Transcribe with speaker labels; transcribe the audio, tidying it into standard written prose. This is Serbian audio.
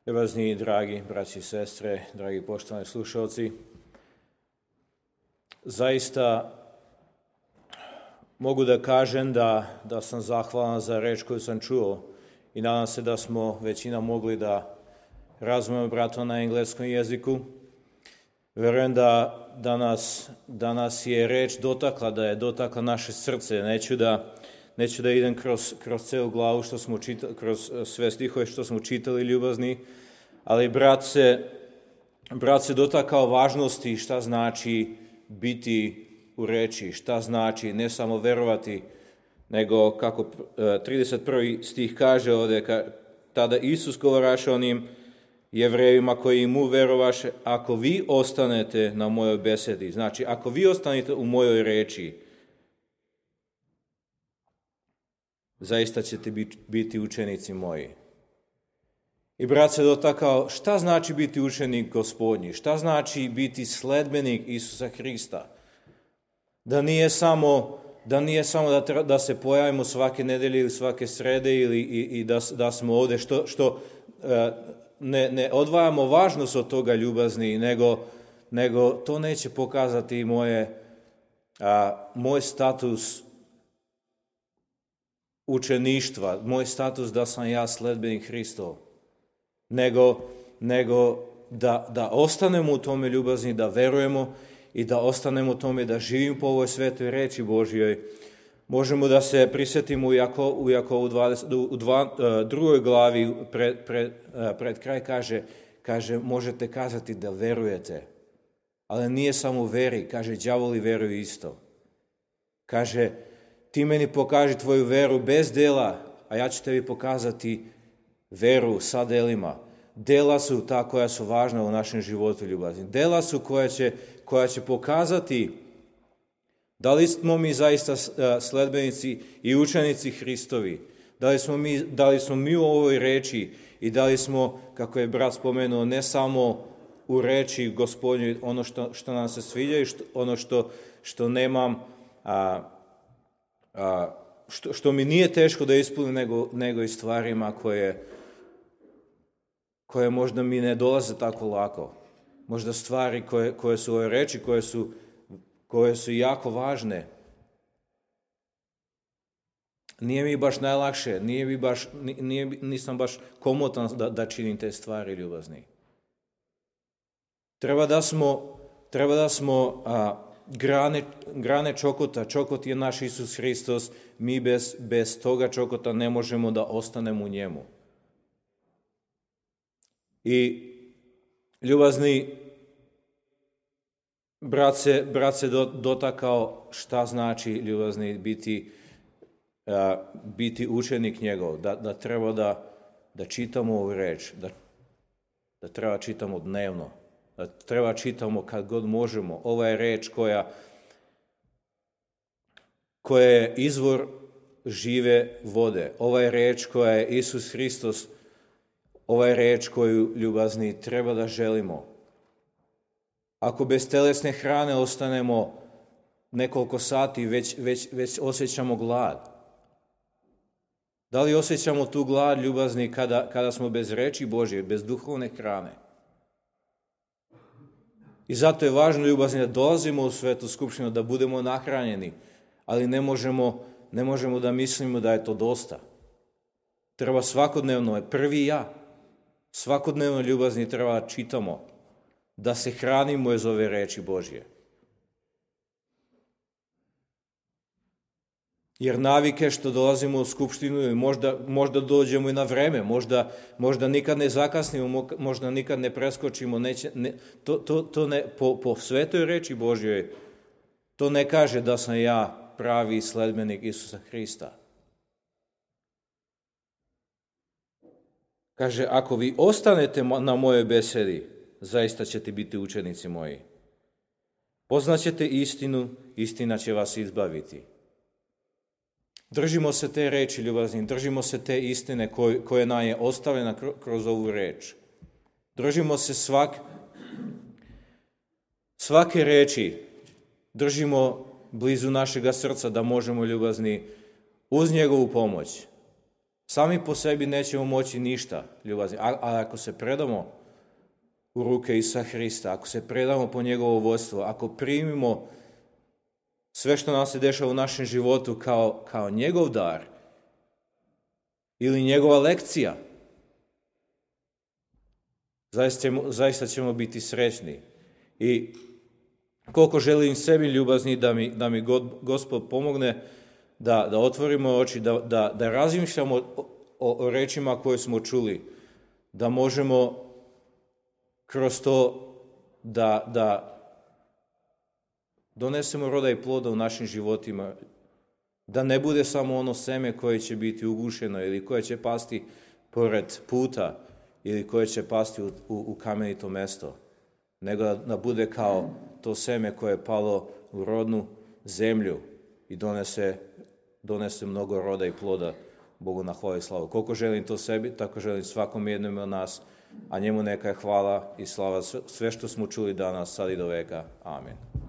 Speaker 1: Ljubazni, dragi braći i sestre, dragi poštovani slušalci, zaista mogu da kažem da sam zahvalan za reč koju sam čuo i nadam se da smo većina mogli da razumemo brato na engleskom jeziku. Verujem da nas je reč dotakla, da je dotakla naše srce. Neću da idem kroz celu glavu što smo čitali, kroz sve stihove što smo čitali, ljubazni, ali brat se dotakao važnosti šta znači biti u reči, šta znači ne samo verovati, nego kako 31. stih kaže ovdje, tada Isus govoraše onim Jevrejima koji mu verovaše, ako vi ostanete na mojoj besedi, znači ako vi ostanete u mojoj reči, zaista ćete biti učenici moji. I brat se dotakao šta znači biti učenik Gospodnji, šta znači biti sledbenik Isusa Hrista. Da nije samo da se pojavimo svake nedelje ili svake srede i da smo ovdje što ne odvajamo važnost od toga ljubazni, nego to neće pokazati moj status učeništva, moj status da sam ja sledbenik Hristov, nego da ostanemo u tome ljubazni, da verujemo i da ostanemo u tome da živimo po ovoj svetoj reči Božjoj. Možemo da se prisjetimo u Jakovu 2. glavi pred kraj kaže možete kazati da verujete, ali nije samo u veri, kaže đavoli veruju isto. Kaže ti meni pokaži tvoju veru bez dela, a ja ću tebi pokazati veru sa delima. Dela su ta koja su važna u našem životu ljubazni. Dela su koja će pokazati da li smo mi zaista sledbenici i učenici Hristovi. Da li smo mi u ovoj reči i da li smo, kako je brat spomenuo, ne samo u reči Gospodnjoj ono što nam se sviđa i ono što nemam, što mi nije teško da ispunim, nego i stvarima koje možda mi ne dolaze tako lako. Možda stvari koje su u ovoj reči, koje su jako važne. Nije mi baš najlakše, nisam baš komotan da činim te stvari ljubazni. Treba da smo grane čokota. Čokot je naš Isus Hristos. Mi bez toga čokota ne možemo da ostanemo u njemu. I ljubazni, brat se dotakao šta znači ljubazni biti učenik njegov, da treba da čitamo ovu reč, da treba čitamo dnevno, da treba čitamo kad god možemo. Ova je reč koja je izvor žive vode. Ova je reč koja je Isus Hristos. Ova je reč koju ljubazni treba da želimo. Ako bez telesne hrane ostanemo nekoliko sati, već osjećamo glad. Da li osjećamo tu glad ljubazni kada smo bez reči Božje, bez duhovne hrane? I zato je važno ljubazni da dolazimo u svetu skupštinu, da budemo nahranjeni, ali ne možemo da mislimo da je to dosta. Treba svakodnevno, prvi ja, svakodnevno ljubazni treba da čitamo, da se hranimo iz ove reči Božje. Jer navike što dolazimo u skupštinu i možda dođemo i na vreme, možda nikad ne zakasnimo, možda nikad ne preskočimo, to ne, po svetoj reči Božjoj, to ne kaže da sam ja pravi sledbenik Isusa Hrista. Kaže, ako vi ostanete na mojoj besedi, zaista ćete biti učenici moji. Poznaćete istinu, istina će vas izbaviti. Držimo se te reči ljubazni, držimo se te istine koja nam je ostavljena kroz ovu reč. Držimo se svake reči, držimo blizu našega srca da možemo ljubazni uz njegovu pomoć Sami po sebi nećemo moći ništa, ljubazni, a ako se predamo u ruke Isusa Hrista, ako se predamo po njegovo vodstvo, ako primimo sve što nam se dešava u našem životu kao njegov dar ili njegova lekcija, zaista ćemo biti srećni. I koliko želim sebi, ljubazni, da mi Gospod pomogne da otvorimo oči, da razmišljamo o rečima koje smo čuli, da možemo kroz to da donesemo roda i ploda u našim životima, da ne bude samo ono seme koje će biti ugušeno ili koje će pasti pored puta ili koje će pasti u kamenito mesto, nego da bude kao to seme koje je palo u rodnu zemlju i donese mnogo roda i ploda Bogu na hvalu i slavu. Koliko želim to sebi, tako želim svakom jednom od nas, a njemu neka je hvala i slava sve što smo čuli danas, sad i do veka. Amen.